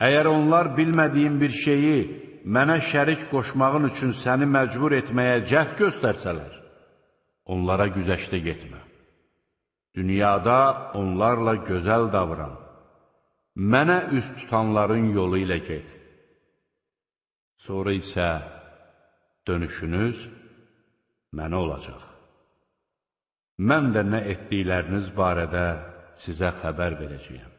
Əgər onlar bilmədiyin bir şeyi mənə şərik qoşmağın üçün səni məcbur etməyə cəhd göstərsələr, onlara güzəşdə getmə. Dünyada onlarla gözəl davran. Mənə üz tutanların yolu ilə get. Sonra isə dönüşünüz mənə olacaq. Mən də nə etdikləriniz barədə sizə xəbər verəcəyəm.